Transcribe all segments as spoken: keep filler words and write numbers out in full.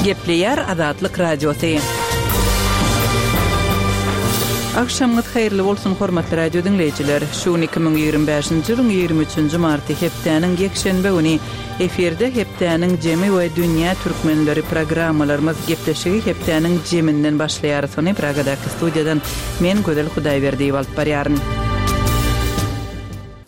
Gepleýär Azatlyk Radiosy. Agşamyňyz haýyrly bolsun hormatly radio diňleýjiler. Şu gün iki müň ýigrimi bäşinji ýylyň ýigrimi üçünji marty hepdäniň ýekşenbe güni efirde hepdäniň jemi we dünýä türkmenleri programmalarymyz gepleşigi hepdäniň jeminden başlaýarys. Ony Pragadaky studiýadan men Gözel Hudaýberdiýewa alyp barýaryn.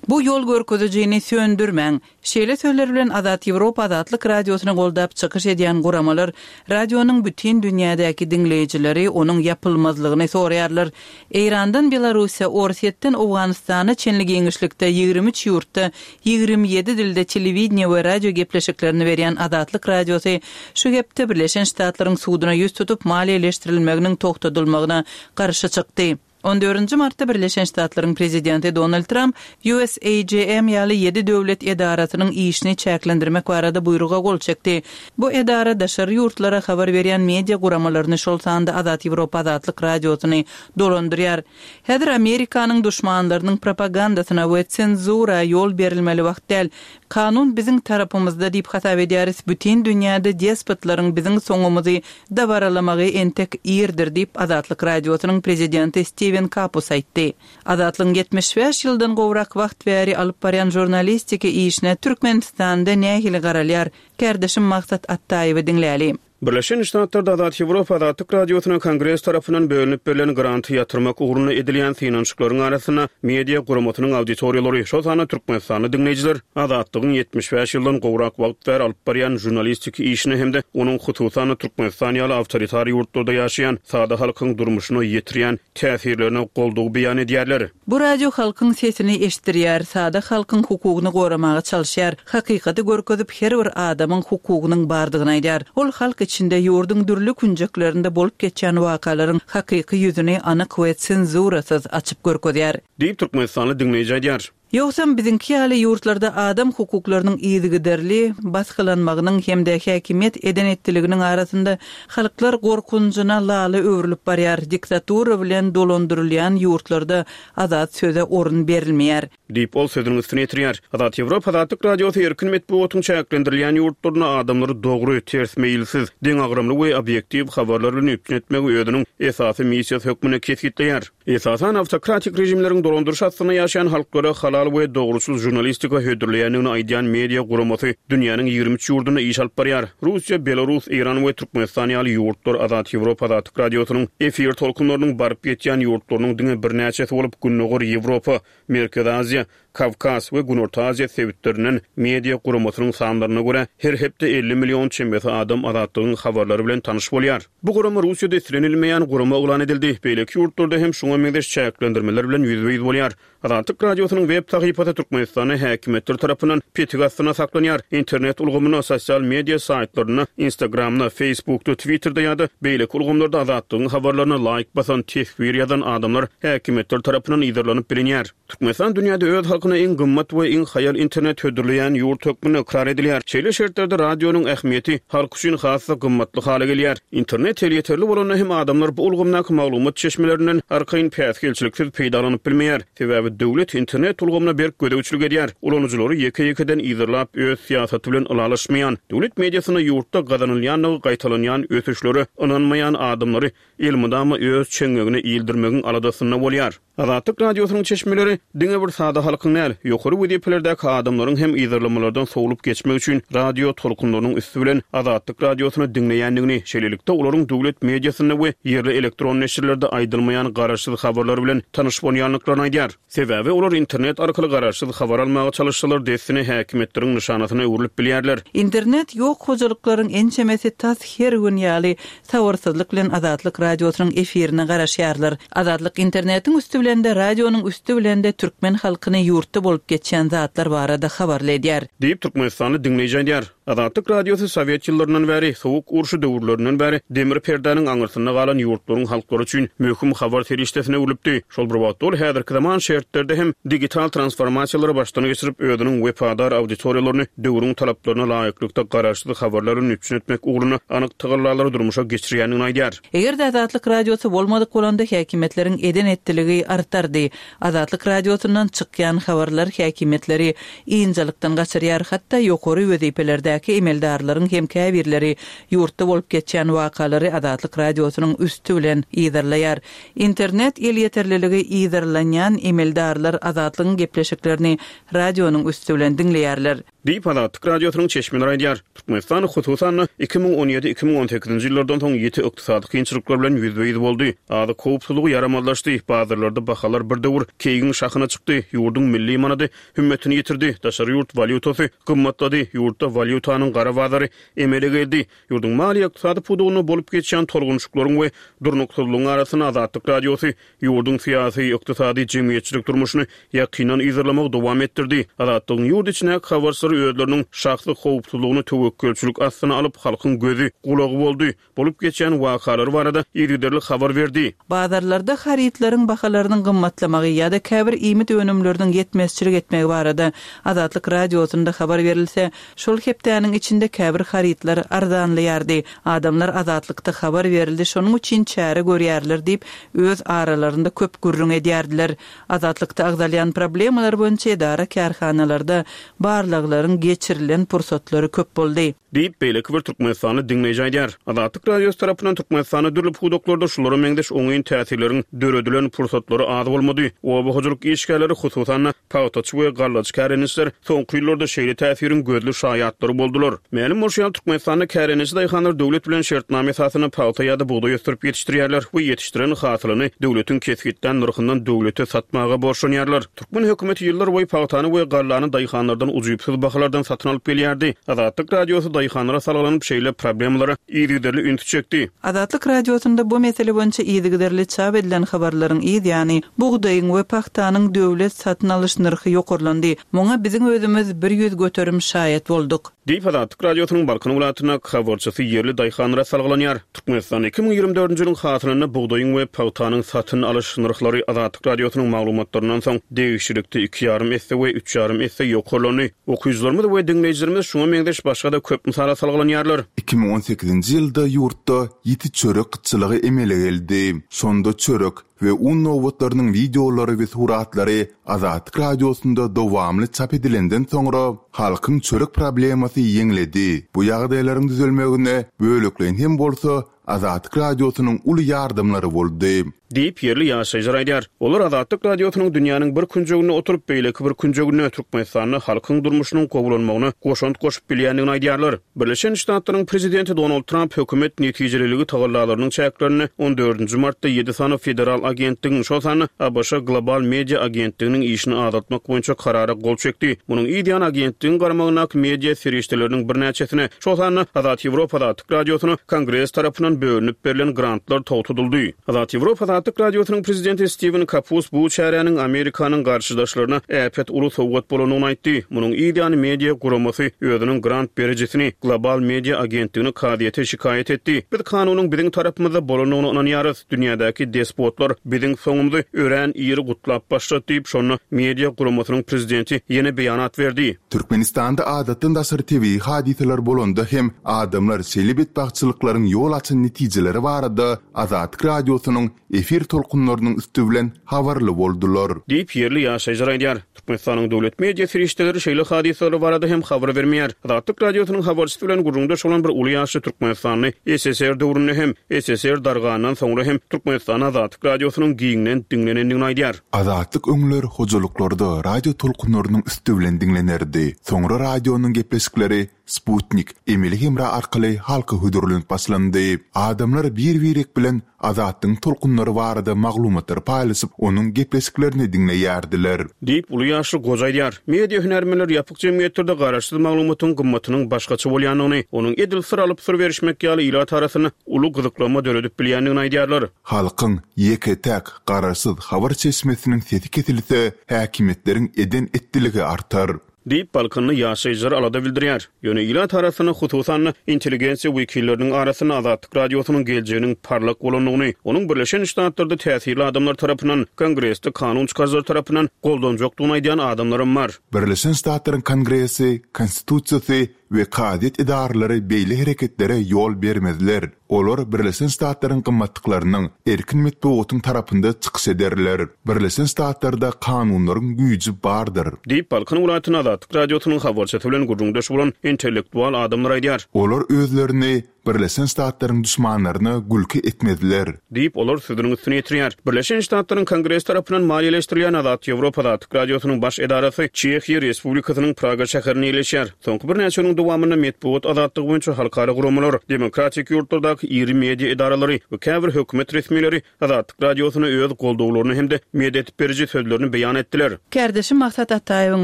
Bu ýol görkezijini söndürmäň. Şeýle sözler bilen Azat Ýewropa Azatlyk Radiosyny goldap çykyş edýän guramalar radionyň bütin dünýädäki diňleýjileri onuň ýapylmazlygyny soraýarlar. Eýrandan Belarussiýa, Orsýetden Owganystana çenli giňişlikde ýigrimi üç ýurtda ýigrimi ýedi dilde telewideniýe we radio gepleşiklerini berýän Azatlyk Radiosy şu hepde Birleşen Ştatlaryň suduna ýüz tutup maliýeleşdirilmeginiň togtadylmagyna garşy çykdy. On dördünji martda Birleşen Ştatlaryň prezidenti Donald Tramp U S A G M ýaly ýedi döwlet edarasynyň işini çäklendirmek barada buýruga gol çekdi. Bu edara daşary ýurtlara habar berýän media guramalaryny, şol sanda Azat Ýewropa Azatlyk Radiosyny dolandyrýar. Häzir Amerikanyň duşmanlarynyň propagandasyna we senzura ýol berilmeli wagt däl. Kanun biziň tarapymyzda diýip hasap edýäris. Bütün dünýäde despotlaryň biziň soňumyzy dabaralamagy entek irdir diýip Azatlyk Radiosynyň prezidenti Steven Kapus aýtdy. Azatlygyň ýetmiş bäş ýyldan gowrak wagt bäri alyp barýan žurnalistiki işine Türkmenistanda nähili garalýar? Kärdeşim Maksat Attaýewi diňläli. Birleşen Ştatlarda Azat Ýewropa Azatlyk Radiosyna Kongres tarapyndan bölünip berlen granty ýatyrmak ugrunda edilýän synanyşyklaryň arasynda media guramasynyň auditoriýalary, şol sanda Türkmenistanly diňleýjiler Azatlygyň ýetmiş bäş ýyldan gowrak wagt bäri alyp barýan žurnalistiki işine hem-de onuň hususan Türkmenistan ýaly awtoritar ýurtlarda ýaşaýan sada halkyň durmuşyna ýetirýän täsirlerine goldaw beýan edýärler. Bu radio halkyň sesini eşitdirýär, sada halkyň hukugyny goramaga çalışýar, hakykaty görkezip her bir adamyň hukugynyň bardygyny aýdar. Ol halk içinde ýurduň dürli künjeklerinde bolup geçýän wakalaryň hakyky ýüzüni anyk we senzurasyz açyp görkezýär. Diýip Türkmenistanly diňleýji aýdýar. Ýogsam biziňki ýaly ýurtlarda adam hukuklarynyň yzygiderli basgylanmagynyň hem-de häkimiýet eden etdiliginiň arasynda halklar gorkunjyna laly öwrülip barýar. Diktatura bilen dolandyrylýan ýurtlarda azat söze orun berilmeýär. Diýip ol sözüniň üstüne ýetirýär. Azat Ýewropa Azatlyk Radiosy erkin metbugatyň çäklendirilýän ýurtlaryna adamlary dogry, ters meýilsiz, deňagramly we obýektiw habarlar bilen üpjün etmegi özüniň esasy missiýasy hökmünde kesgitleýär. Esasan awtokratik režimleriň dolandyryş astynda ýaşaýan halklara halal we dogruçyl žurnalistika hödürleýändigini aýdýan media guramasy dünýäniň ýigrimi üç ýurdunda iş alyp barýar. Russiýa, Belarus, Eýran we Türkmenistan ýaly ýurtlar Azat Ýewropa Azatlyk Radiosynyň efir tolkunlarynyň baryp ýetýän ýurtlarynyň diňe birnäçesi bolup Gündogar Ýewropa, Merkezi Aziýa, Kawkaz we Günorta Aziýa sebitlerinden media guramasynyň sanlaryna görä her hepde elli million çemesi adam Azatlygyň habarlary bilen tanyş bolýar. Bu gurama Russiýada islenilmeýän gurama yglan edildi. Beýleki ýurtlarda hem şuňa meňzeş çäklendirmeler bilen ýüzbe-ýüz bolýar. Azatlyk Radiosynyň web sahypasy Türkmenistanda häkimiýetler tarapyndan petik astynda saklanýar. Internet ulgamynda, sosial media saýtlarynda, Instagramda, Facebookda, Twitterda ýa-da beýleki ulgamlarda Azatlygyň habarlaryna laýk basan, teswir ýazan adamlar häkimiýetler tarapyndan yzarlanyp bilinýär. Türkmenistan dünýäde öz halkyna iň gymmat we iň haýal internet hödürleýän ýurt hökmünde ykrar edilýär. Şeýle şertlerde radionyň ähmiýeti halk üçin has-da gymmatly hala gelýär. Internet elýeterli bolanda hem adamlar bu ulgamdaky maglumat çeşmelerinden arkaýyn päsgelçiliksiz peýdalanyp bilmeýär. Sebäbi döwlet internet ulgamyna berk gözegçilik edýär. Ulanyjylary ýeke-ýekeden yzarlap öz syýasaty bilen ylalaşmaýan, döwlet mediasynda ýurtda gazanylýandygy gaýtalanýan ösüşlere ynanmaýan adamlary elmydama öz çeňňegine ildirmegiň aladasynda bolýar. Azatlyk Radiosynyň çeşmeleri diňe bir sada halkyň däl, ýokary wezipelerdäki adamlaryň hem yzarlamalardan sowlup geçmek üçin radio tolkunlarynyň üsti bilen Azatlyk Radiosyny diňleýändigini, şeýlelikde olaryň döwlet mediasynda we ýerli elektron neşirlerde aýdylmaýan garaşsyz habarlar bilen tanyş bolýandyklaryny aýdýar. Sebäbi olar internet arkaly garaşsyz habar almaga çalışsalar dessine häkimiýetleriň nyşanasyna öwrülip bilýärler. Internet ýok hojalyklaryň ençemesi tas her gün ýaly sabyrsyzlyk bilen Azatlyk Radiosynyň efirine garaşýarlar. Azatlyk internetiň üsti bilen de radionyň üsti bilen de türkmen halkyny ýurtda bolup geçýän zatlar barada habarly edýär. Diýip Türkmenistanly diňleýji aýdýar. Azatlyk Radiosy Sowet ýyllaryndan bäri, sowuk urşy döwürlerinden bäri demir perdäniň aňyrsynda galan ýurtlaryň halklary üçin möhüm habar serişdesine öwrülipdi. Şol bir wagtda ol häzirki zaman şertlerde hem digital transformasiýalary başdan geçirip, özüniň wepadar auditoriýalaryny döwrüň talaplaryna laýyklykda garaşsyz habarlaryny üpjün etmek ugrunda anyk tagallalary durmuşa geçirýändigini aýdýar. Eger-de Azatlyk Radiosy bolmadyk bolanda häkimiýetleriň eden etdiligi artardy. Azatlyk Radiosyndan çykýan habarlar häkimiýetleri ynjalykdan gaçyrýar, hatda ýokary wezipelerdäki Daşoguzdaky emeldarlaryň hem käbirleri ýurtda bolup geçýän wakalary Azatlyk radiosynyň üsti bilen yzarlaýar. Internet elýeterliligi yzarlanýan emeldarlar Azatlygyň gepleşiklerini radionyň üsti bilen diňleýärler. Diýip Azatlyk radiosynyň çeşmeleri aýdýar. Türkmenistan hususan iki müň on ýedi iki müň on sekizinji ýyllardan soň ýiti ykdysady kynçylyklar bilen ýüzbe-ýüz boldy. Azyk howpsuzlygy ýaramazlaşdy, bazarlarda bahalar bir döwür keýgiň şahyna çykdy, ýurduň milli manady hümmetini ýitirdi, daşary ýurt walýutasy gymmatlady, ýurtda walýutanyň gara bazary emele geldi. Ýurduň maliýe ykdysady pudagynda bolup geçýän tolgunçyklaryň we durnuksyzlygyň arasynda Azatlyk radiosy ýurduň syýasy, ykdysady, jemgyýetçilik durmuşyny ýakyndan yzarlamagy dowam etdirdi. Azatlygyň ýurt içindäki habarçylary özleriniň şahsy howpsuzlygyny töwekgelçilik astyna alyp, halkyň gözi, gulagy boldy. Bolup geçen wakalar barada yzygiderli habar berdi. Bazarlarda harytlaryň bahalarynyň gymmatlamagy ýa-da käbir iýmit önümleriniň ýetmezçilik etmegi barada Azatlyk radiosynda habar berilse, şol hepdäniň içinde käbir harytlar arzanlaýardy. Adamlar Azatlykda habar berildi, şonuň üçin çäre görýärler diýip, öz aralarynda köp gürrüň edýärdiler. Azatlykda agzalýan problemalar boýunça edara kärhanalarda barlaglaryň geçirilen pursatlary köp boldy. Diýip, beýleki bir Türkmenistany diňleýji aýdýar. Azatlyk radiosy tarapyndan Türkmenistanda dürli pudaklarda şulara meňzeş oňyn täsirleriň döredilen pursatlary az bolmady. Oba hojalyk işgärleri, hususan-da pagtaçy we gallaçy kärendeçiler soňky ýyllarda şeýle täsiriň gözli şaýatlary boldular. Mälim bolşy ýaly, Türkmenistanda kärendeçi daýhanlar döwlet bilen şertnama esasynda pagta ýa-da bugdaý ösdürip ýetişdirýärler we ýetişdiren hasylyny döwletiň kesgitlän nyrhyndan döwlete satmaga borçlanýarlar. Türkmen hökümeti ýyllar boýy pagtany we gallany daýhanlardan ujypsyz bahalardan satyn alyp gelýärdi. Azatlyk radiosy daýhanlara salgylanyp şeýle problemalara yzygiderli üns çekdi. Azatlyk radiosynda bu mesele boýunça yzygiderli çap edilen habarlaryň yz ýany bugdaýyň we pagtanyň döwlet satyn alyş nyrhy ýokarlandy. Muňa biziň özümiz bir ýüz göterim şaýat bolduk. Diýip Azatlyk radiosynyň Balkan welaýatyndaky habarçysy ýerli daýhanlara salgylanýar. Türkmenistan iki müň ýigrimi dördünji ýylyň hasylynda bugdaýyň we pagtanyň satyn alyş nyrhlary Azatlyk radiosynyň maglumatlaryndan soň degişlilikde iki ýarym esse we üç ýarym esse ýokarlandy. Okyjylarymyz we diňleýjilerimiz şuňa meňzeş başga-da köp mysala salgylanýarlar. Iki müň on sekizinji ýylda ýurtda ýiti çörek gytçylygy emele geldi. Şonda çörek we un nobatlarynyň wideolary we suratlary Azatlyk radiosynda dowamly çap edilenden soňra halkyň çörek problemasy ýeňledi. Bu ýagdaýlaryň düzelmegine bölekleýin hem bolsa Azatlyk radiosynyň uly ýardamlary boldy. Diýip ýerli ýaşaýjylar aýdýar. Olar Azatlyk radiosynyň dünýäniň bir künjeginde oturyp, beýleki bir künjeginde Türkmenistanda halkyň durmuşynyň gowulanmagyna goşant goşup bilýändigini aýdýarlar. Birleşen Ştatlaryň prezidenti Donald Trump hökümet netijeliligi tagallalarynyň çäklerinde on dördünji martda ýedi sany federal agentligiň, şol sanda A B Ş Global Media agentliginiň işini azaltmak boýunça karara gol çekdi. Munuň yz ýany agentligiň garamagyndaky media serişdeleriniň birnäçesine, şol sanda Azat Ýewropa Azatlyk radiosyna Kongres tarapyndan bölünip berlen grantlar togtadyldy. Azat Ýewropa Azatlyk radiosynyň prezidenti Steven Kapus bu çäräniň Amerikanyň garşydaşlaryna äpet uly sowgat bolandygyny aýtdy. Munuň yz ýany media guramasy özüniň grant berijisini Global Media agentligini kazyýete şikaýat etdi. Biz kanunyň biziň tarapymyzda bolandygyna ynanýarys. Dünýädäki despotlar biziň soňumyzy örän iri gutlap başlady diýip, şonda media guramasynyň prezidenti ýene beýanat berdi. Türkmenistanda adatdan daşary tebigy hadysalar bolanda hem adamlar şeýle betbagtçylyklaryň ýol açan netijeleri barada Azatlyk radiosynyň efir tolkunlarynyň üsti bilen habarly boldular. Diýip ýerli ýaşaýjylar aýdýar. Türkmenistanyň döwlet media serişdeleri şeýle hadysalar barada hem habar bermeýär. Azatlyk radiosynyň habarçysy bilen gürrüňdeş bolan bir uly ýaşly Türkmenistanly S S R döwründe hem S S R dargandan soňra hem Türkmenistan Azatlyk radiosynyň giňden diňlenendigini aýdýar. Azatlyk öňler hojalyklarda radio tolkunlarynyň üsti bilen diňlenerdi. Soňra radionyň gepleşikleri Sputnik, emeli hemra arkaly halka hödürlenip başlandy. Adamlar bir-birek bilen Azatlygyň tolkunlary barada maglumatlary paýlaşyp, onuň gepleşiklerini diňleýärdiler. Diýip uly ýaşly goja aýdýar. Media hünärmenler ýapyk jemgyýetlerde garaşsyz maglumatyň gymmatynyň başgaça bolýandygyny, onuň edil syr alyp syr berişmek ýaly ilat arasynda uly gyzyklanma döredip bilýändigini aýdýarlar. Halkyň ýeke-täk garaşsyz habar çeşmesiniň sesi kesilse, häkimiýetleriň eden etdiligi artar. Diýip Balkanly ýaşaýjylar alada bildirýär. Ýöne ilat arasynda hususan intelligensiýa wekilleriniň arasynda Azatlyk radiosynyň geljeginiň parlak bolandygyny, onuň Birleşen Ştatlarda täsirli adamlar tarapyndan, Kongresde kanun çykaryjylar tarapyndan goldanjakdygyny aýdýan adamlaram bar. Birleşen Ştatlaryň Kongresi, Konstitusiýasy we kazyýet edaralary beýle hereketlere ýol bermezler. Olar Birleşen Ştatlaryň gymmatlyklarynyň, erkin metbugatyň tarapynda çykyş ederler. Birleşen Ştatlarda kanunlaryň güýji bardyr. Diýip, Balkan welaýatynda Azatlyk Radiosynyň habarçysy bilen gürrüňdeş bolan intellektual adamlar aýdýar. Olar özlerini Birleşen Ştatlaryň duşmanlaryna gülki etmezler. Diýip, olar sözüniň üstüni ýetirýär. Birleşen Ştatlaryň Kongresi tarapyndan maliýeleşdirilýän Azat Ýewropa Azatlyk Radiosynyň baş edarasy Çehiýa Respublikasynyň Praga şäherinde ýerleşýär. Soňky birnäçe ýylyň dowamynda metbugat azatlygy boýunça halkara guramalar, demokratik ýurtlardaky iri media edaralary we käbir hökümet resmileri Azatlyk Radiosyna öz goldawlaryny hem-de medet beriji sözlerini beýan etdiler. Kärdeşim Maksat Ataýewiň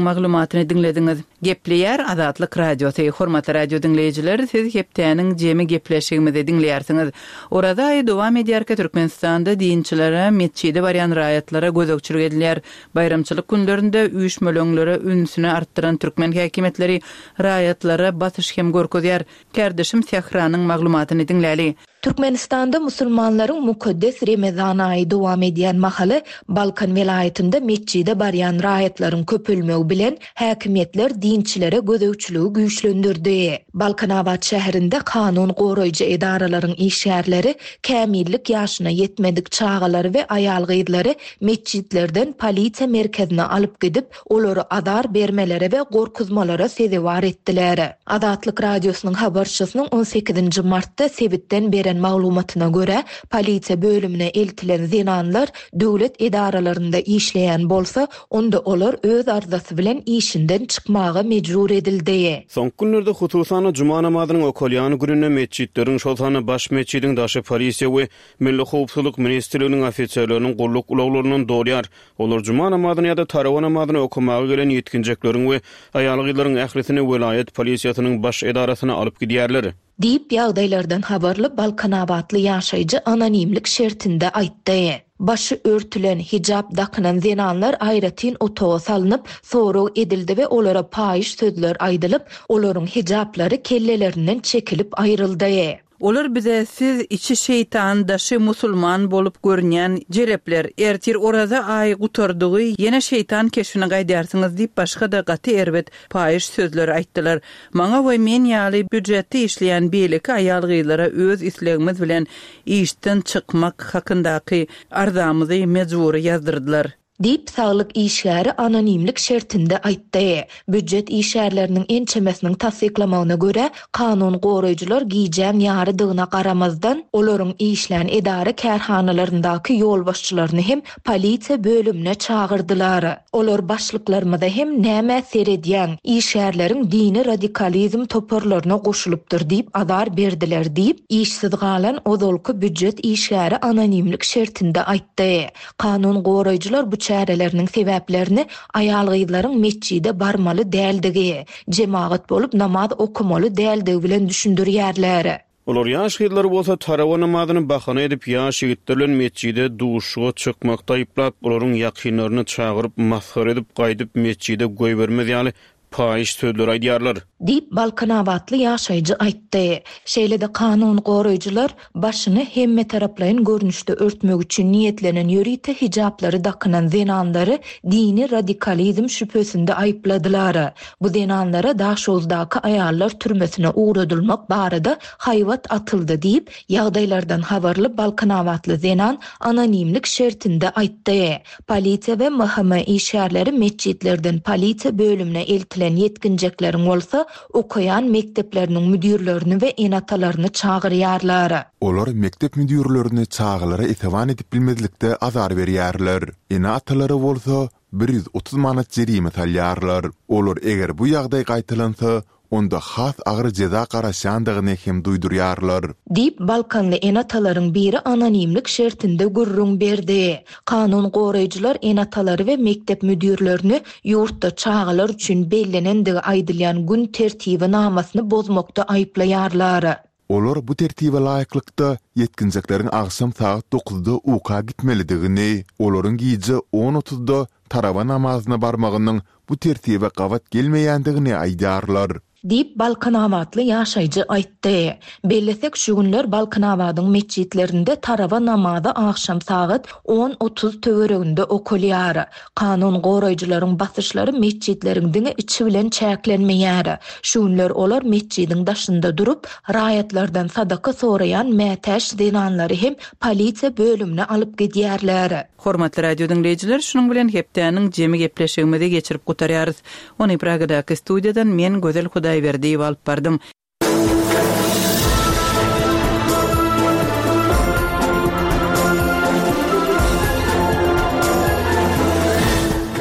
maglumatyny diňlediňiz. Gepleýär Azatlyk Radiosy. Hormatly radio diňleýjiler, siz hepdäniň jemi gepleşigimizi diňleýärsiňiz. Oraza aýy dowam edýärkä Türkmenistanda dinçilere, metjide barýan raýatlara gözegçilik edilýär. Baýramçylyk günlerinde üýşmeleňlere ünsüni artdyran türkmen häkimiýetleri raýatlara basyş hem görkezýär. Kärdeşim Sähranyň maglumatyny diňläli. Türkmenistanda musulmanlaryň mukaddes Remezan aýy dowam edýän mahaly Balkan welaýatynda metjide barýan raýatlaryň köpelmegi bilen häkimiýetler dinçilere gözegçiligi güýçlendirdi. Balkanabat şäherinde kanun goraýjy edaralaryň işgärleri kämillik ýaşyna ýetmedik çagalary we aýal-gyzlary metjitlerden polisiýa merkezine alyp gidip, olary azar bermelere we gorkuzmalara sezewar etdiler. Azatlyk Radiosynyň habarçysynyň on sekizinji martda sebitden beren maglumatyna görä, polisiýa bölümine eltilen zenanlar döwlet edaralarynda işleýän bolsa, onda olar öz arzasy bilen işinden çykmaga mejbur edildi. Soňky günlerde, hususan-da, juma namazynyň okalýan gününde metjitleriň, şol sanda baş metjidiň daşy polisiýa we Milli howpsuzlyk ministrliginiň ofiserleriniň gulluk ulaglaryndan dolýar. Olar juma namazyny ýa-da tarawa namazyny okamaga gelen ýetginjekleriň we aýal-gyzlaryň ählisini welaýat polisiýasynyň baş edarasyna alyp gidýärler. Diýip, ýagdaýlardan habarly balkanabatly ýaşaýjy anonimlik şertinde aýtdy. Başy örtülen, hijap dakynan zenanlar aýratyn otaga salnyp, sorag edildi we olara paýyş sözler aýdylyp, olaryň hijaplary kellelerinden çekilip aýryldy. Olar bize siz içi şeýtan, daşy musulman bolup görünýän jelepler, ertir oraza aýy gutardygy ýene şeýtan keşbine gaýdarsyňyz diýip başga-da gaty erbet paýyş sözleri aýtdylar. Maňa we men ýaly býujetde işleýän beýleki aýal-gyzlara öz islegimiz bilen işden çykmak hakyndaky arzamyzy mejbury ýazdyrdylar. Diýip, saglyk işgäri anonimlik şertinde aýtdy. Býujet işgärleriniň ençemesiniň tassyklamagyna görä, kanun goraýjylar gijäň ýarydygyna garamazdan, olaryň işlän edara kärhanalaryndaky ýolbaşçylaryny hem polisiýa bölümine çagyrdylar. Olar başlyklarymyza hem nämä seredýäň, işgärleriň dini radikalizm toparlaryna goşulypdyr diýip azar berdiler diýip, işsiz galan ozalky býujet işgäri anonimlik şertinde aýtdy. Kanun goraýjylar bu çäreleriniň sebäplerini aýal-gyzlaryň metjide barmaly däldigi, jemagat bolup namaz okamaly däldigi bilen düşündirýärler. Olar ýaş gyzlary bolsa tarawa namazyny bahana edip ýaş ýigitler bilen metjide duşuga çykmakda aýyplap, olaryň ýakynlaryny çagyryp, masgara edip gaýdyp metjide goýbermez ýaly paýyş sözleri aýdýarlar. Diýip, balkanabatly ýaşaýjy aýtdy. Şeýle-de kanun goraýjylar başyny hemmetaraplaýyn görnüşde örtmek üçin niýetlenen ýörite hijaplary dakynan zenanlary dini radikalizm şübhesinde aýypladylar. Bu zenanlara Daşoguzdaky aýallar türmesine ugradylmak barada haýbat atyldy diýip, ýagdaýlardan habarly balkanabatly zenan anonimlik şertinde aýtdy. Polisiýa we M H M işgärleri metjitlerden polisiýa bölümine eltilen ýetginjekleriň bolsa okaýan mekdepleriniň müdirlerini we ene-atalaryny çagyrýarlar. Olar mekdep müdirlerini çagalara esewan edip bilmezlikde azar berýärler. Ene-atalary bolsa bir ýüz otuz manat jerime salýarlar. Olar eger bu ýagdaý gaýtalansa, onda has agyr jeza garaşýandygyny hem duýdurýarlar. Diýip, Balkanly ene-atalaryň biri anonimlik şertinde gürrüň berdi. Kanun goraýjylar ene-atalary we mekdep müdirlerini ýurtda çagalar üçin bellenendigi aýdylýan gün tertibi namasyny bozmakda aýyplaýarlar. Olar bu tertibe laýyklykda ýetginjekleriň agşam sagat dokuzda uka gitmelidigini, olaryň gije on otuzda tarawa namazyna barmagynyň bu tertibe gabat gelmeýändigini aýdýarlar. Diýip, balkanabatly ýaşaýjy aýtdy. Bellesek, şu günler Balkanabadyň metjitlerinde tarawa namazy agşam sagat on otuz töwereginde okalýar. Kanun goraýjylaryň basyşlary metjitleriň diňe içi bilen çäklenmeýär. Şu günler olar metjidiň daşynda durup, raýatlardan sadaka soraýan mätäç zenanlary hem polisiýa bölümine alyp gidýärler. Hormatly radio diňleýjiler, şunuň bilen hepdäniň jemi gepleşigimizi geçirip gutarýarys. Ony Pragadaky studiýadan men Gözel Hudaýberdiýewa alyp bardym.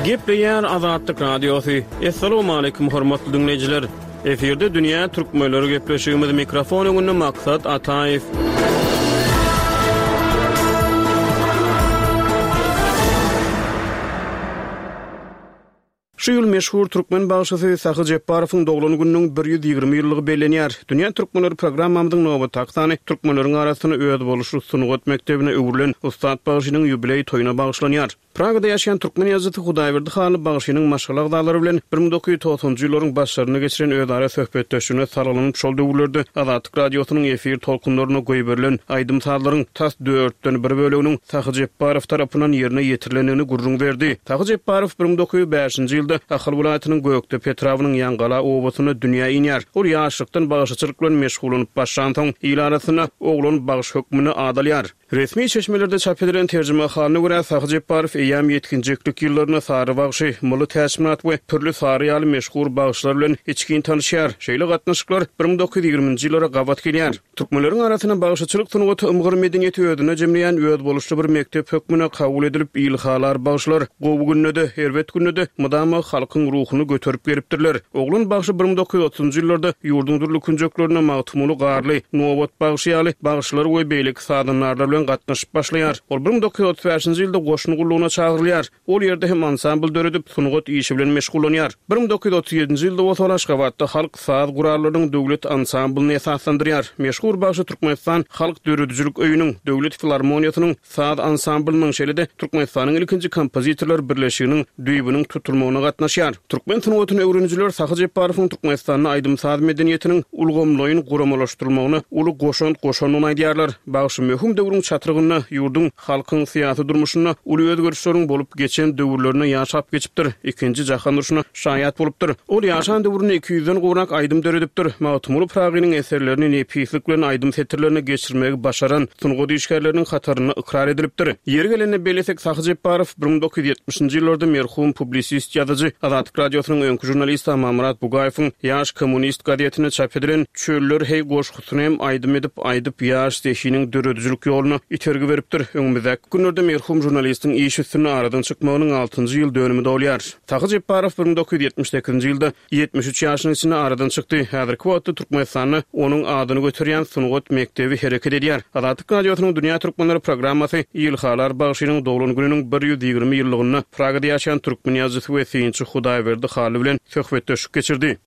Gepleýär Azatlyk Radiosy. Essalamu aleýkum hormatly diňleýjiler. Efirde Dünýä Türkmenleri gepleşigimiz mikrofon öňünde Maksat Ataýew. Şu ýyl meşhur türkmen bagşysy Sahy Jepbarowyň doglan gününiň bir ýüz ýigrimi ýyllygy bellenýär. Dünýä Türkmenleri programmamyzyň nobatdaky sany türkmenleriň arasynda özboluşly sungat mekdebine öwrülen ussat bagşynyň ýubileý toýuna bagyşlanýar. Pragada ýaşaýan türkmen ýazyjysy Hudaýberdi Hally bagşynyň maşgala agzalary bilen bir müň dokuz ýüz togsanjy ýyllaryň başlarynda geçiren özara söhbetdeşligine salgylanyp şol döwürlerde Azatlyk Radiosynyň efir tolkunlaryna goýberilen aýdym-sazlaryň tas dörtden bir böleginiň Sahy Jepbarow tarapyndan ýerine ýetirilendigini gürrüň berdi. Sahy Jepbarow bir müň dokuz ýüz bäşinji ýylda Ahal welaýatynyň Gökdepe etrabynyň Ýaňgala obasynda dünýä inýär. Ol ýaşlykdan bagşyçylyk bilen meşgullanyp başlansoň, il arasynda oglan bagş hökmünde ad alýar. Resmi çeşmelerde çap edilen terjime halyna görä Sahy Jepbarow eýýäm ýetginjeklik ýyllarynda Sary bagşy, Mylly Täçmyrat we Pürli Sary ýaly meşhur bagşylar bilen içgin tanışýar. Şeýle gatnaşyklar bir müň dokuz ýüz ýigriminji ýyllara gabat gelýär. Türkmenleriň arasynda bagşyçylyk sungaty ymgyr medeniýeti özünde jemleýän özboluşly bir mekdep hökmünde kabul edilip, ilhalar bagşylar gowy günde-de, erbet günde-de mydama halkyň ruhuny göterip gelipdirler. Oglan bagşy bir müň dokuz ýüz otuzunjy ýyllarda ýurduň dürli künjeklerinde Magtymguly Garly, Nobat bagşy ýaly bagşylar we beýleki sazandarlar bilen gatnaşyp başlaýar. Ol bir müň dokuz ýüz otuz bäşinji ýylda goşun gullugyna çagyrylýar. Ol ýerde hem ansambl döredip, sungat işi bilen meşgullanýar. Bir müň dokuz ýüz otuz ýedinji ýylda bolsa ol Aşgabatda halk saz gurallarynyň döwlet ansamblyny esaslandyrýar. Meşhur bagşy Türkmenistan Halk Döredijilik Öýüniň, Döwlet Filarmoniýasynyň saz ansamblynyň, şeýle-de Türkmenistanyň ilkinji kompozitorlar birleşiginiň düýbüniň tutulmagyna gatnaşýar. Türkmen sungatyny öwrenijiler Sahy Jepbarowyň Türkmenistanda aýdym-saz medeniýetiniň ulgamlaýyn guramalaşdyrylmagyna uly goşant goşandygyny aýdýarlar. Bagşy möhüm döwrüň çatrygynda ýurduň halkyň syýasy durmuşynda uly özgerişleriň bolup geçen döwürlerine ýaşap geçipdir. Ikinji jahan urşuna şaýat bolupdyr. Ol ýaşan döwründe iki ýüzden gowrak aýdym döredipdir. Magtymguly Pyragynyň eserlerini nepislik bilen aýdym setirlerine geçirmegi başaran sungat işgärleriniň hatarynda ykrar edilipdir. Ýeri gelende bellesek Sahy Jepbarow bir müň dokuz ýüz ýetmişinji ýyllarda merhum publisist ýazyjy Azatlyk Radiosynyň öňki žurnalisti Amanmyrat Bugaýewiň Ýaş kommunist gazetinde çap edilen Çöller hey goşgusyny hem aýdym edip aýdyp ýaş zehiniň döredijilik ýoluna itergi beripdir. Öňümizdäki günlerde merhum žurnalistiň iş üstünde aradan çykmagynyň altynjy ýyl dönümi dolýar. Sahy Jepbarow bir müň dokuz ýüz ýetmiş sekizinji ýylda ýetmiş üç ýaşynyň içinde aradan çykdy. Häzirki wagtda Türkmenistanda onuň adyny göterýän sungat mekdebi hereket edýär. Azatlyk Radiosynyň Dünýä Türkmenleri programmasy Ilhalar bagşynyň doglan gününiň bir ýüz ýigrimi ýyllygynda Pragada ýaşaýan türkmen ýazyjysy we synçy Hudaýberdi Hally bilen söhbetdeşlik geçirdi.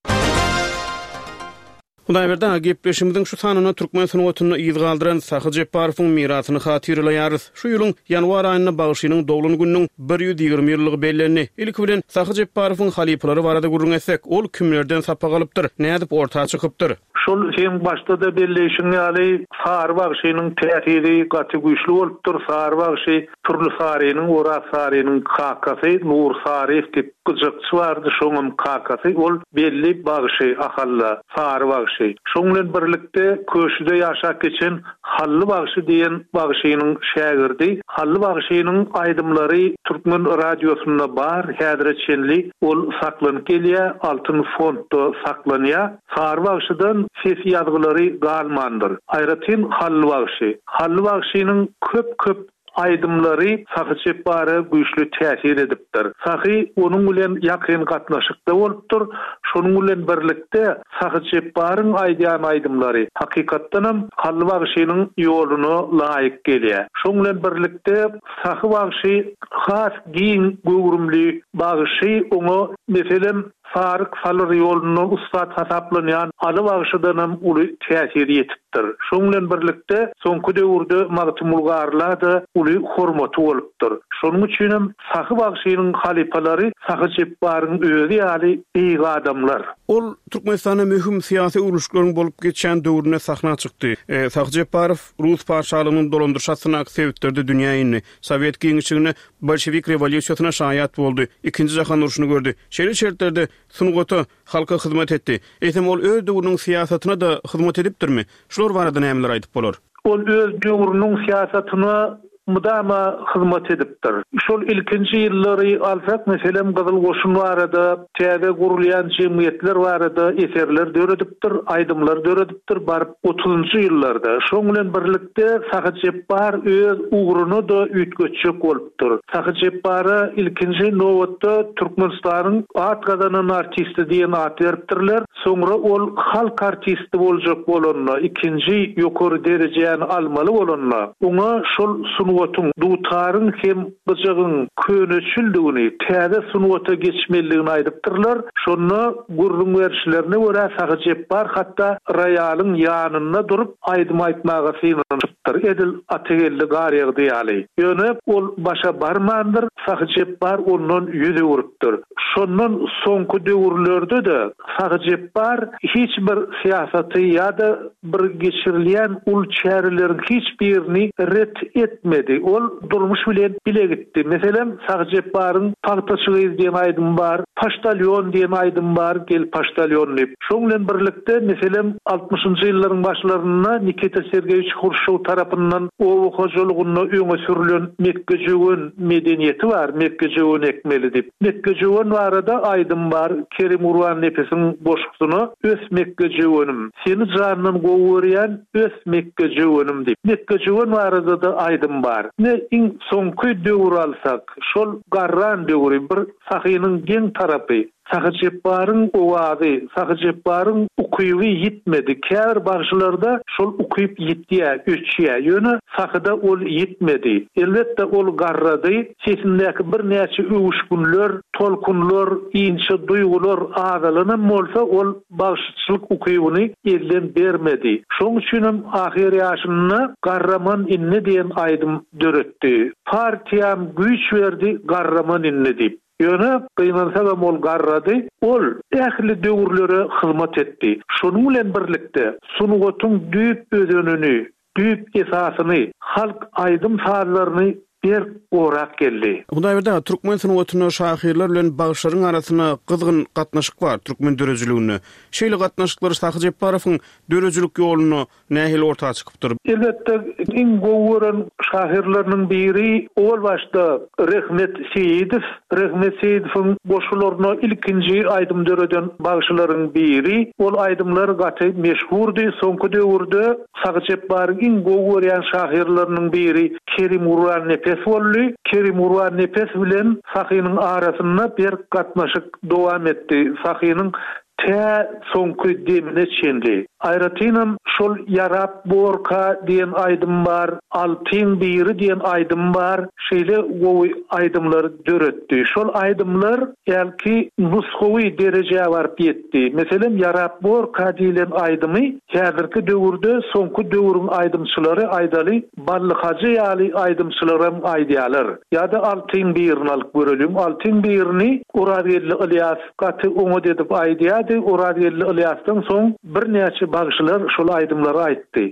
Hudaýberdi aga, gepleşigimiziň şu sanynda türkmen sungatynda yz galdyran Sahy Jepbarowyň mirasyny hatyralaýarys. Şu ýylyň ýanwar aýynda bagşynyň doglan gününiň bir ýüz ýigrimi ýyllygy bellendi. Ilki bilen Sahy Jepbarowyň halypalary barada gürrüň etsek, ol kimlerden sapak alypdyr, nädip orta çykypdyr? Şol seň başda-da belleýşiň ýaly Sary bagşynyň täsiri gaty güýçli bolupdyr. Sary bagşy Pürli Sarynyň, Oraz Sarynyň kakasy Nur Saryýew diýip gyjakçy bardy, şoňam kakasy ol belli bagşy Ahalla Sary bagşy. Şoň bilen birlikde Köşüde ýaşap geçen Hally bagşy diýen bagşynyň şägirdi. Hally bagşynyň aýdymlary Türkmen radiosynda bar, häzire çenli ol saklanyp gelýär, Altyn fondda saklanýar. Sary bagşydan ses ýazgylary galmandyr. Aýratyn Hally bagşy. Hally bagşynyň köp-köp aýdymlary Sahy Jepbara güýçli täsir edipdir. Sahy onuň bilen ýakyn gatnaşykda bolupdyr. Şonuň bilen birlikde Sahy Jepbaryň aýdýan aýdymlary hakykatdanam Hally bagşynyň ýoluna laýyk gelýär. Şonuň bilen birlikde Sahy bagşy has giň göwrümli bagşy, oňa meselem Saryk Salyr ýolunda ussat hasaplanýan Aly bagşydanam uly täsir ýetipdir. Şoň bilen birlikde soňky döwürde Magtymguly Garla-da uly hormaty bolupdyr. Şonuň üçinem Sahy bagşynyň halypalary Sahy Jepbaryň özi ýaly beýik adamlar. Ol Türkmenistanda möhüm syýasy öwrülişikleriň bolup geçýän döwründe sahna çykdy. Sahy Jepbarow Rus patyşalygynyň dolandyryş astyndaky sebitlerde dünýä indi. Sowet giňişliginde bolşewik rewolýusiýasyna şaýat boldy. Ikinji jahan urşuny gördi. Şeýle şertlerde sungata, halka hyzmat etdi. Eýsem ol öz döwrüniň syýasatyna-da hyzmat edipdirmi? Şular barada nämeler aýdyp bolar? Ol öz döwrüniň syýasatyna mydama hyzmat edipdir. Şol ilkinji ýyllary alsak, meselem, Gyzyl Goşun barada, täze gurulýan jemgyýetler barada eserler döredipdir, aýdymlar döredipdir, baryp otuzynjy ýyllarda. Şoň bilen birlikde Sahy Jepbar öz ugruna-da üýtgetjek bolupdyr. Sahy Jepbara ilkinji nobatda Türkmenistanyň at gazanan artisti diýen at beripdirler. Soňra ol halk artisti boljak bolanda, ikinji ýokary derejäni almaly bolanda, oňa şol sungatyň, dutaryň hem gyjagyň köneçildigini, täze sungata geçmelidigini aýdypdyrlar. Şonda gürrüň berişlerine görä Sahy Jepbar hatda roýalyň ýanynda durup aýdym aýtmaga synanyşypdyr. Edil Atageldi Garýagdy ýaly. Ýöne ol başa barmandyr, Sahy Jepbar ondan ýüz öwrüpdir. Şondan soňky döwürlerde-de Sahy Jepbar hiç bir syýasaty ýa-da bir geçirilýän ul çäreleriň hiç birini ret etmedi. Ol durmuş bilen bile gitdi. Meselem, Sahy Jepbaryň Pagtaçy gyz diýen aýdym bar, Poştalyon diýen aýdym bar, gel poştalyon diýip. Şoň bilen birlikde, meselem, altmyşynjy ýyllaryň başlarynda Nikita Sergeýewiç Hruşçow tarapyndan oba hojalygynda öňe sürülen mekgejöwen medeniýeti bar, mekgejöwen ekmeli diýip. Mekgejöwen barada aýdym bar, Kerim Gurbannepesiň goşgusyna Ös mekgejöwenim, seni jandan gowy görýän ös mekgejöwenim diýip. Mekgejöwen barada-da aýdym bar. Ne iň soňky döwür alsak, şol garran döwri bir Sahynyň geň tarapy, Sahy Jepbaryň owazy, Sahy Jepbaryň ukyby ýitmedi. Käbir bagşylarda şol ukyp ýitýär, öçýär. Ýöne Sahyda ol ýitmedi. Elbetde ol garrady, sesindäki birnäçe öwüşgünler, tolkunlar, inçe duýgular azalanam bolsa ol bagşyçylyk ukybyny elden bermedi. Şoň üçinem ahyr ýaşynda Garraman indi diýen aýdym döretdi. Partiýam güýç berdi, Garraman indi diýip. Ýöne gynansagam ol garrady, ol ähli döwürlere hyzmat etdi. Şonuň bilen birlikde sungatyň düýp özenini, düýp esasyny, halk aýdym sazlaryny berk gorap geldi. Hudaýberdi aga, türkmen sungatynda şahyrlar bilen bagşylaryň arasynda gyzgyn gatnaşyk bar türkmen döredijiliginde. Şeýle gatnaşyklar Sahy Jepbarowyň döredijilik ýolunda nähili orta çykypdyr? Elbetde, iň gowy gören şahyrlarynyň biri owal başda Rehmet Seýidow. Rehmet Seýidowyň goşgularyna ilkinji aýdym döreden bagşylaryň biri. Ol aýdymlar gaty meşhurdy. Soňky döwürde Sahy Jepbaryň iň gowy görýän şahyrlarynyň biri Kerim Gurbannepes boldy. Kerim Gurbannepes bilen Sahynyň arasynda berk gatnaşyk dowam etdi. Sahynyň tä soňky demine çenli. Aýratynam şol Ýarap borka diýen aýdym bar, Altyň biri diýen aýdym bar, şeýle gowy aýdymlar döretdi. Şol aýdymlar belki nusgawy derejä baryp ýetdi. Meselem, Ýarap borka diýlen aýdymy häzirki döwürde soňky döwrüň aýdymçylary aýdaly Bally Hajy ýaly aýdymçylaram aýdýarlar. Ýa-da Altyň birini alyp görelim. Altyň birini Orazgeldi Ylýas gaty oňat edip aýdýardy. Orazgeldi Ylýasdan soň birnäçe bagşylar şol aýdymlary aýtdy.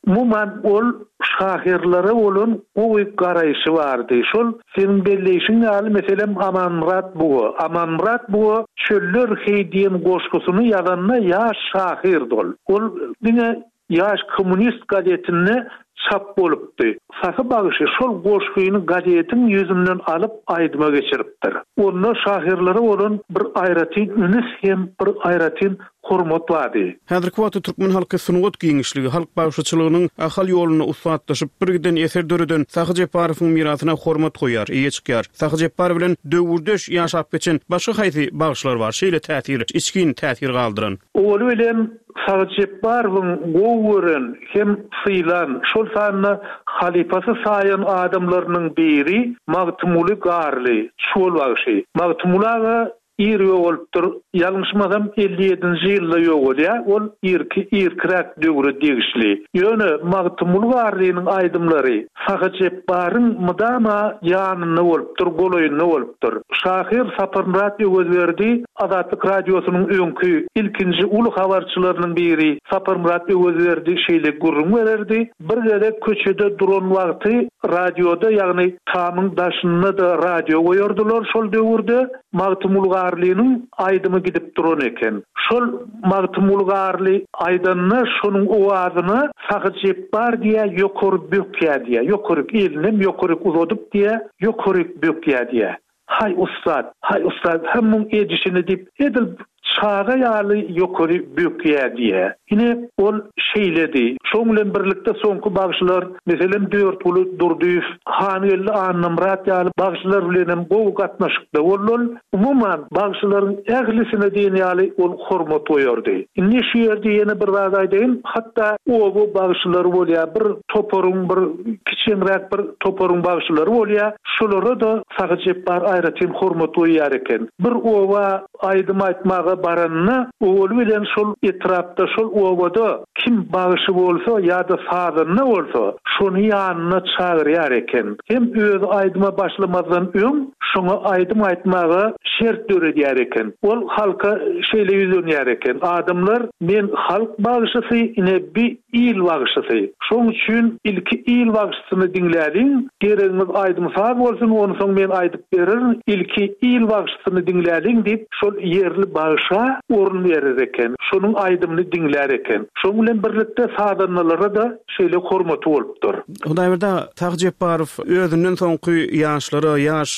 Umuman ol şahyrlara bolan gowy garaýşy bardy. Şol seniň belleýşiň ýaly, meselem, Amanmyrat Buga. Amanmyrat Buga Çöller heý diýen goşgusyny ýazanda ýaş şahyrdy ol. Ol diňe Ýaş kommunist gazetinde çap bolupdy. Sahy bagşy şol goşgyny gazetiň ýüzünden alyp aýdyma geçiripdir. Onda şahyrlara bolan bir aýratyn ünüs hem bir aýratyn hormat bardy. Häzirki wagtda türkmen halky sungat giňişligi, halk bagşyçylygynyň Ahal ýolunda ussatlaşyp, birgiden eser döreden Sahy Jepbarowyň mirasyna hormat goýýar, eýe çykýar. Sahy Jepbar bilen döwürdeş ýaşap geçen başga haýsy bagşylar bar şeýle täsir, içgin täsir galdyran? Owaly bilen Sahy Jepbarowyň gowy gören hem sylan, şol sanda halypasy saýan adamlarynyň biri Magtymguly Garly, çuwal bagşy. Magtymguly aga ir ýogalypdyr. Ýalňyşmasam elli ýedinji ýylda ýogalýar. Ol irki irkiräk döwre degişli. Ýöne Magtymguly Garlynyň aýdymlary Sahy Jepbaryň mydama ýanynda bolupdyr, golaýynda bolupdyr. Şahyr Saparmyrat Öwezberdi Azatlyk Radiosynyň öňki ilkinji uly habarçylarynyň biri Saparmyrat Öwezberdi şeýle gürrüň bererdi, Bir gezek köçede duran wagty radioda, ýagny tamyň daşynda-da radio goýardylar şol döwürde, Magtymguly Garlynyň aýdymy gidip duran eken. Şol Magtymguly Garly aýdanda şonuň owazyna Sahy Jepbar diýýär, ýokary bökýär diýýär. Ýokaryk elinem ýokaryk uzadyp diýýär, ýokaryk bökýär diýýär. Haý ussat, haý ussat, hä muň edişini diýip, edil çaga ýaly ýokary bökýär diýýär. Ine, ol şeýledi. Şoň bilen birlikde soňky bagşylar, meselem, Dörtguly Durdyýew, Hangeldi Annamyrat ýaly bagşylar bilenem gowy gatnaşykda boldy ol. Umuman, bagşylaryň ählisine diýen ýaly ol hormat goýardy. Indi şu ýerde ýene bir zat aýdaýyn, hatda oba bagşylary bolýar, bir toparyň, bir kiçeňräk bir toparyň bagşylary bolýar, şolara-da Sahy Jepbar aýratyn hormat goýýar eken. Bir oba aýdym aýtmaga baranda, owaly bilen şol etrapda, şol obada kim bagşy bolsa ýa-da sazanda bolsa, şony ýanyna çagyrýar eken. Hem özi aýdyma başlamazdan öň, şoňa aýdym aýtmaga şert döredýär eken. Ol halka şeýle ýüzlenýär eken, Adamlar, men halk bagşysy, ine bi il bagşysy. Şoň üçin ilki il bagşysyny diňläliň, geregiňiz aýdym-saz bolsun, onsoň men aýdyp bererin, ilki il bagşysyny diňläliň diýip, şol ýerli bagşa orun berer eken, şonuň aýdymyny diňlär eken. Şoň bilen birlikde sazandalara-da şeýle hormaty bolupdyr. Hudaýberdi aga, Sahy Jepbarow özünden soňky ýaşlara, ýaş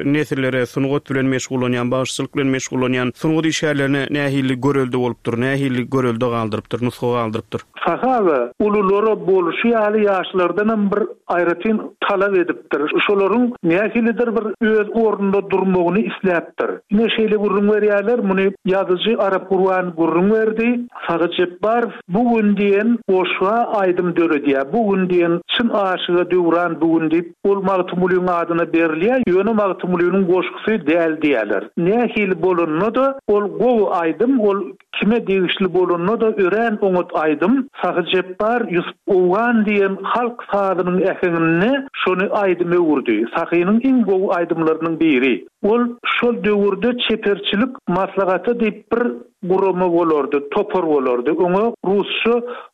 nesillere, sungat bilen meşgullanýan, bagşyçylyk bilen meşgullanýan sungat işgärlerine nähili görelde bolupdyr, nähili görelde galdyrypdyr, nusga galdyrypdyr? Sahy aga, ululara boluşy ýaly ýaşlardanam bir aýratyn talap edipdir. Şolaryň nähilidir bir öz ornunda durmagyny isläpdir. Ine şeýle gürrüň berýärler, muny ýazyjy Arap Gurban gürrüň berdi. Sahy Jepbarow bu gün diýen goşga aýdym döredýär. Bu gün diýen çyn aşyga döwran bu gün diýip, ol Magtymgulyň adyna berilýär, ýöne Magtymgulynyň goşgusy däl diýýärler. Nähili bolanda-da ol gowy aýdym, ol kime degişli bolanda-da örän oňat aýdym. Sahy Jepbar Ýusup Owgan diýen halk sazynyň äheňinde şony aýdym öwürdi. Sahynyň iň gowy aýdymlarynyň biri. Ol şol döwürde çeperçilik maslahaty diýip bir gurama bolardy, topar bolardy. Oňa rusça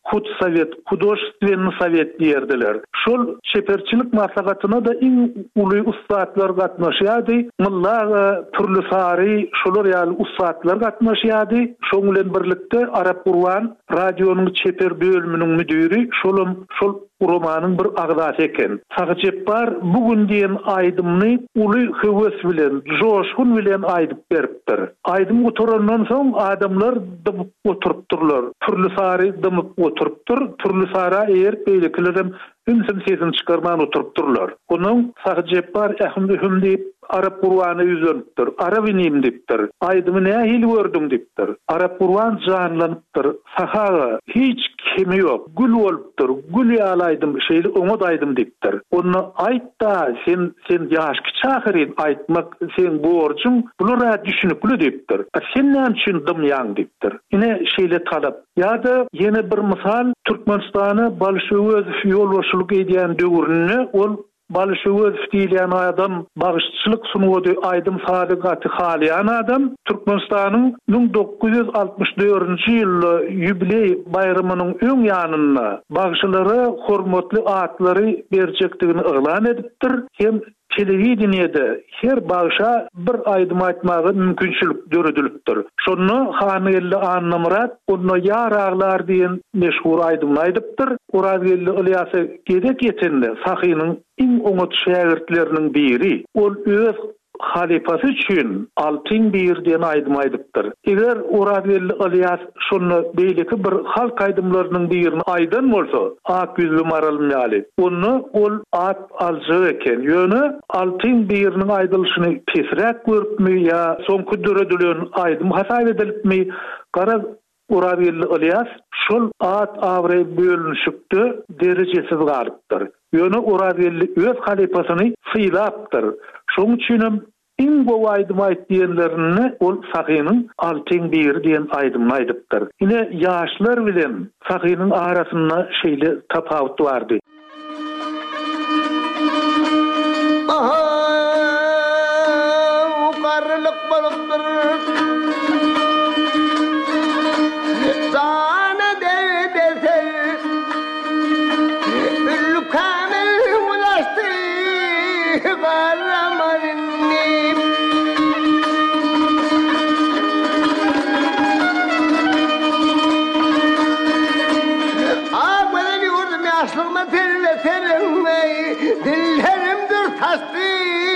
hudsowet, hudožestwennyý sowet diýerdiler. Şol çeperçilik maslahatyna-da iň uly ussatlar gatnaşýardy. Molla aga, Pürli Sary, şolar ýaly ussatlar gatnaşýardy. Şoň bilen birlikde Arap Gurban radionyň çeper bölüminiň müdiri, şolam şol guramanyň bir agzasy eken. Sahy Jepbar bu gün diýen aýdymyny uly höwes bilen, joşgun bilen aýdyp beripdir. Aýdym gutarandan soň adamlar dymyp oturypdyrlar. Pürli Sary dymyp oturypdyr. Pürli Sara eýerip beýlekilerem ümsüm sesini çykarman oturypdyrlar. Ondan Sahy Jepbar ähim-ühüm diýip Arap Gurbana ýüzlenipdir. Arap inim diýipdir. Aýdymy nähili gördüň diýipdir. Arap Gurban janlanypdyr. Sahy aga, hiç kemi ýok. Gül bolupdyr. Gül ýaly aýdym, şeýle oňat aýdym diýipdir. Onda aýt-da, sen, sen ýaş kiçi ahyryn, aýtmak seň borjuň, bular-a düşünikli diýipdir. A sen näme üçin dymýaň diýipdir. Ine, şeýle talap. Ýa-da ýene bir mysal, Türkmenistana Balyş Öwezow ýolbaşçylyk edýän döwründe ol Balyş Öwezow diýilýän adam bagşyçylyk sungaty, aýdym-sazy gaty halaýan adam. Türkmenistanyň müň dokuz ýüz altmyş dördünji ýylda ýubileý baýramynyň öň ýanynda bagşylara hormatly atlary berjekdigini yglan edipdir hem telewideniýede her bagşa bir aýdym aýtmaga mümkinçilik döredilipdir. Şonda Hangeldi Annamyrat Onda ýar aglar diýen meşhur aýdymyny aýdypdyr. Orazgeldi Ylýasa gezek ýetende Sahynyň iň oňat şägirtleriniň biri. Ol öz halypasy üçin Altyň biri diýen aýdymy aýdypdyr. Eger Orazgeldi Ylýas şonda beýleki bir halk aýdymlarynyň birini aýdan bolsa, Ak ýüzli maralym ýaly, onda ol at aljak eken. Ýöne Altyň biriniň aýdylyşyny pesräk görüpmi ýa soňky döredilen aýdym hasap edilipmi, garaz, Orazgeldi Ylýas şol at-abraý bölünişikde derejesiz galypdyr. Ýöne Orazgeldi öz halypasyny sylapdyr. Şoň üçinem Iň gowy aýdym aýt diýenlerinde ol Sahynyň Altyň biri diýen aýdymyny aýdypdyr. Ine, ýaşlar bilen Sahynyň arasynda şeýle tapawut bardy. Ahaw, garrylyk bolupdyr. Jana derdesel, ülkäme ulaşdy, garraman indi. A gözel ýurdum ýaşlygyma telbe sereňmeý, dillerim dür saçdy.